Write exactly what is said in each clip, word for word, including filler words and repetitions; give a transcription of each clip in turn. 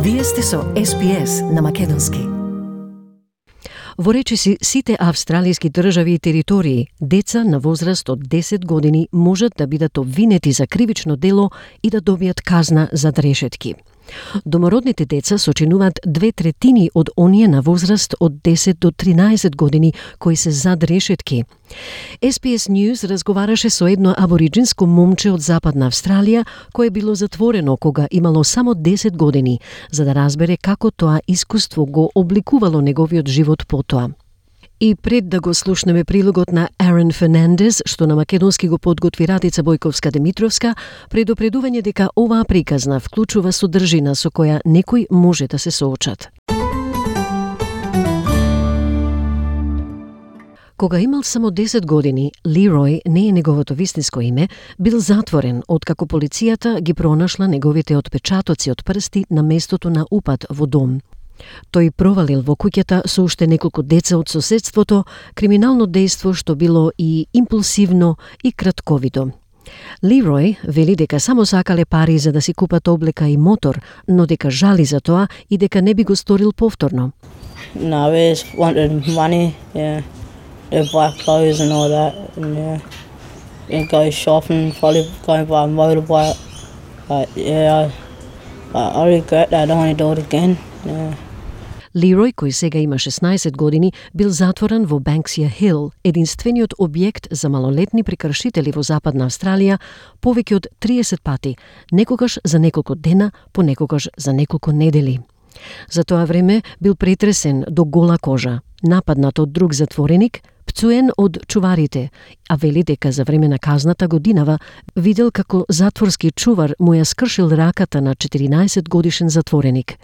Вие сте со Ес Би Ес на македонски. Во речиси сите австралијски држави и територии, деца на возраст од десет години можат да бидат обвинети за кривично дело и да добијат казна за решетки. Домородните деца сочинуваат две третини од оние на возраст од десет до тринаесет години кои се зад решетки. Ес Би Ес News разговараше со едно абориджинско момче од Западна Австралија кое било затворено кога имало само десет години, за да разбере како тоа искуство го обликувало неговиот живот потоа. И пред да го слушнеме прилогот на Арен Фернандес, што на македонски го подготви Радица Бојковска-Димитровска, предупредување дека оваа приказна вклучува содржина со која некој може да се соочат. Кога имал само десет години, Лерој, не е неговото вистинско име, бил затворен откако полицијата ги пронашла неговите отпечатоци од прсти на местото на упад во дом. Тој провалил во куќата со уште неколку деца од соседството, криминално дејство што било и импулсивно и кратковидо. Лерој вели дека само сакале пари за да си купат облека и мотор, но дека жали за тоа и дека не би го сторил повторно. No, we just wanted money, yeah. To buy clothes and all that, and yeah, and go shopping, probably go and buy a motorbike. But yeah, I, I regret that. I don't want to do it again. Yeah. Лерој, кој сега има шеснаесет години, бил затворен во Банксија Хил, единствениот објект за малолетни прекршители во Западна Австралија, повеќе од триесет пати, некогаш за неколку дена, понекогаш за неколку недели. За тоа време бил претресен до гола кожа, нападнат од друг затвореник, пцуен од чуварите, а вели дека за време на казната годинава видел како затворски чувар му ја скршил раката на четиринаесет годишен затвореник.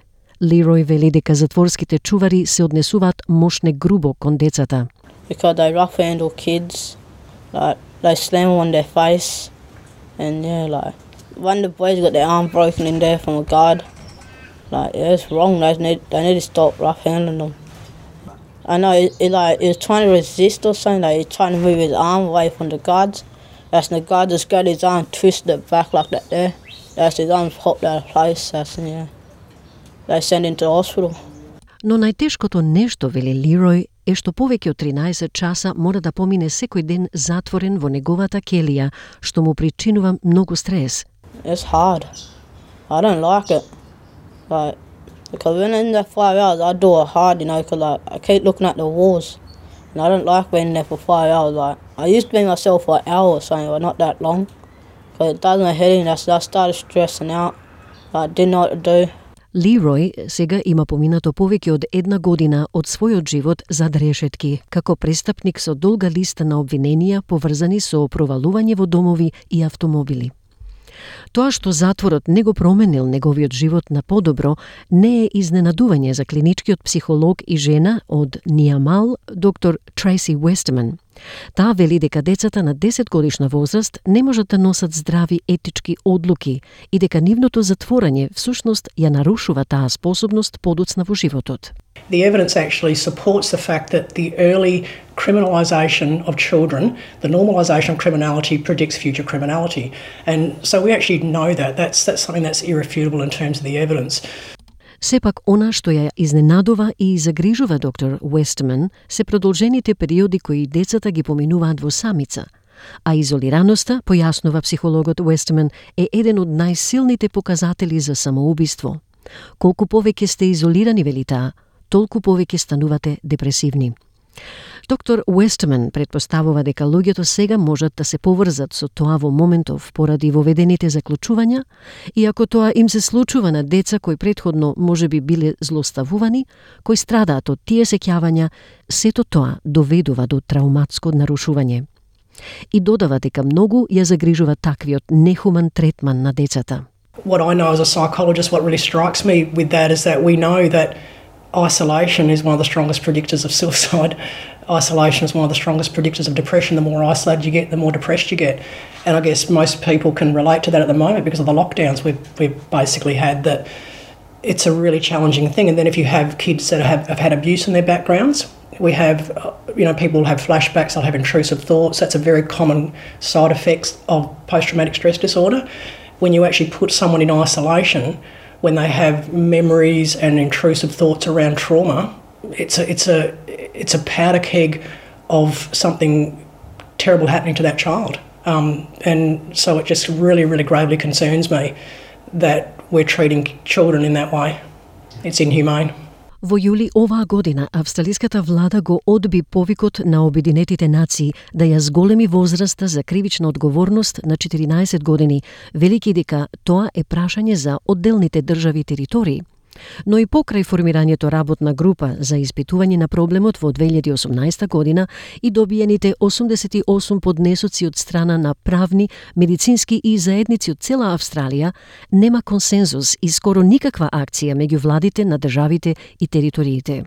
Лерој вели дека затворските чувари се однесуваат мошне грубо кон децата. Because they rough handle kids, like they slam them on their face, and yeah, like one of the boys got their arm broken in there from a guard. Like yeah, it's wrong. They need they need to stop rough handling them. I know it, it like he was trying to resist or something. Like he's trying to move his arm away from the guards. That's the guard just got his arm twisted it back like that. There, that's his arm popped out of place. That's yeah. They sent him to the hospital. Но најтешкото нешто, вели Лерој, е што повеќе од тринаесет часа мора да помине секој ден затворен во неговата келија, што му причинува многу стрес. It's hard. I don't like it. Like, because when I'm in there five hours, I do it hard, you know, because like, I keep looking at the walls. And I don't like being in there for five hours. Like, I used to be myself for an hour or something, but not that long. Because it does my head in. I started stressing out. I didn't know what to do. Лерој сега има поминато повеќе од една година од својот живот зад решетки, како престапник со долга листа на обвиненија поврзани со провалување во домови и автомобили. Тоа што затворот не го променил неговиот живот на подобро не е изненадување за клиничкиот психолог и жена од Ниамал, доктор Трейси Уестман. Таа вели дека децата на десет годишна возраст не можат да носат здрави етички одлуки и дека нивното затворање всушност ја нарушува таа способност подоцна во животот. The evidence actually supports the fact that the early criminalisation of children, the normalisation of criminality predicts future criminality. And so we actually know that. That's, that's something that's irrefutable in terms of the evidence. Сепак, она што ја изненадува и загрижува доктор Уестман се продолжените периоди кои децата ги поминуваат во самица, а изолираноста, појаснува психологот Уестман, е еден од најсилните показатели за самоубиство. Колку повеќе сте изолирани, вели таа, толку повеќе станувате депресивни. Доктор Уестман предпоставува дека луѓето сега можат да се поврзат со тоа во моментов поради воведените заклучувања, и ако тоа им се случува на деца кои претходно можеби биле злоставувани, кои страдаат од тие сеќавања, сето тоа доведува до трауматско нарушување. И додава дека многу ја загрижува таквиот нехуман третман на децата. What I know as a psychologist, what really strikes me with that is that we know that isolation is one of the strongest predictors of suicide. Isolation is one of the strongest predictors of depression. The more isolated you get, the more depressed you get. And I guess most people can relate to that at the moment because of the lockdowns we've, we've basically had, that it's a really challenging thing. And then if you have kids that have, have had abuse in their backgrounds, we have, you know, people have flashbacks, they'll have intrusive thoughts. That's a very common side effect of post-traumatic stress disorder. When you actually put someone in isolation, when they have memories and intrusive thoughts around trauma, it's a, it's a, it's a powder keg of something terrible happening to that child. Um, and so it just really, really gravely concerns me that we're treating children in that way. It's inhumane. Во јули оваа година, австралиската влада го одби повикот на Обединетите нации да ја зголеми возраста за кривична одговорност на четиринаесет години, велики дека тоа е прашање за одделните држави и територии. Но и покрај формирањето работна група за испитување на проблемот во две илјади и осумнаесета година и добиените осумдесет и осум поднесоци од страна на правни, медицински и заедници од цела Австралија, нема консензус и скоро никаква акција меѓу владите на државите и териториите.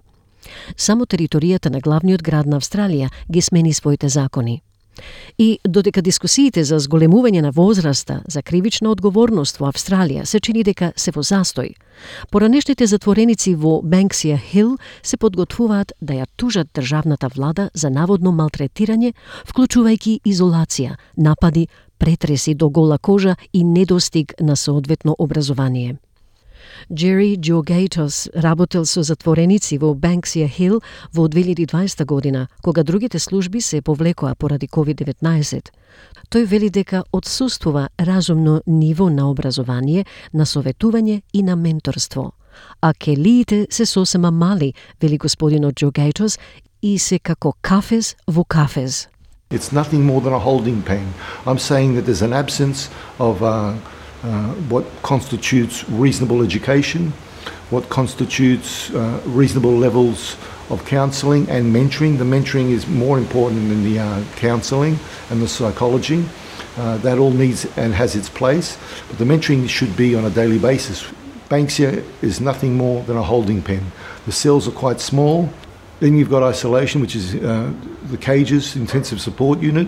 Само територијата на главниот град на Австралија ги смени своите закони. И додека дискусиите за зголемување на возраста за кривична одговорност во Австралија се чини дека се во застој, поранешните затвореници во Бенксија Хил се подготвуваат да ја тужат државната влада за наводно малтретирање, вклучувајќи изолација, напади, претреси до гола кожа и недостиг на соодветно образование. Джери Джогейтос работел со затвореници во Бенксија Хил во две илјади и дваесета година, кога другите служби се повлекоа поради ковид деветнаесет. Тој вели дека отсуствува разумно ниво на образование, на советување и на менторство. А келиите се сосема мали, вели господинот Джогейтос, и се како кафез во кафез. It's nothing more than a holding pen. I'm saying that there's an absence of uh, Uh, what constitutes reasonable education, what constitutes uh, reasonable levels of counselling and mentoring. The mentoring is more important than the uh, counselling and the psychology. Uh, that all needs and has its place, but the mentoring should be on a daily basis. Banksia is nothing more than a holding pen. The cells are quite small. Then you've got isolation, which is uh, the cages, intensive support unit.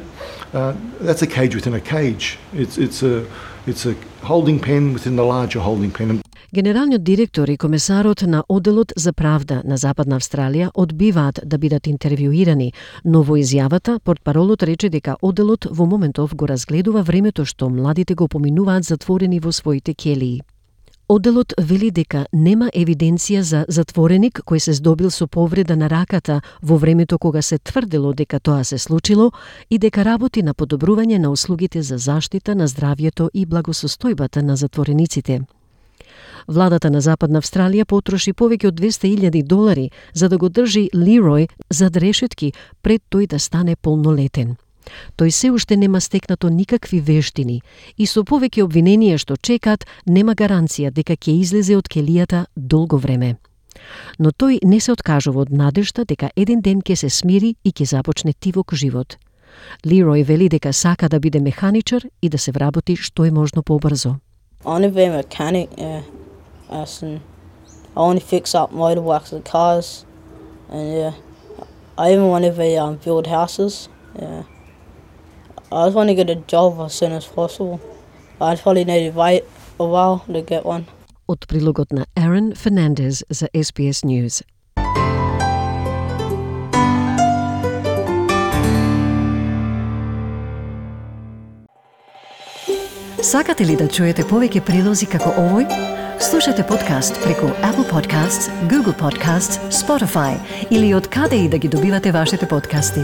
Uh, that's a cage within a cage. It's, it's a It's a holding pen within the larger holding pen. Генералниот директор и комесарот на Одделот за правда на Западна Австралија одбиваат да бидат интервјуирани, но во изјавата портпаролот рече дека Одделот во моментов го разгледува времето што младите го поминуваат затворени во своите келии. Одделот вели дека нема евиденција за затвореник кој се здобил со повреда на раката во времето кога се тврдело дека тоа се случило и дека работи на подобрување на услугите за заштита на здравјето и благосостојбата на затворениците. Владата на Западна Австралија потроши повеќе од двесте илјади долари за да го држи Лерој зад решетки пред тој да стане полнолетен. Тој се уште нема стекнато никакви вештини и со повеќе обвиненија што чекаат нема гаранција дека ќе излезе од келијата долго време. Но тој не се откажува од надежта дека еден ден ќе се смири и ќе започне тивок живот. Лерој вели дека сака да биде механичар и да се вработи што е можно побрзо. I want to be a mechanic, yeah. And I want to fix up motorbikes and cars, and yeah, I even want to be um, build houses. Yeah, I just want to get a job as soon as possible. I probably need to wait a while to get one. Од прилогот на Aaron Fernandez за S B S News. Сакате ли да чуете повеќе прилози како овој? Слушате подкаст преку Apple Podcasts, Google Podcasts, Spotify или од каде и да ги добивате вашите подкасти.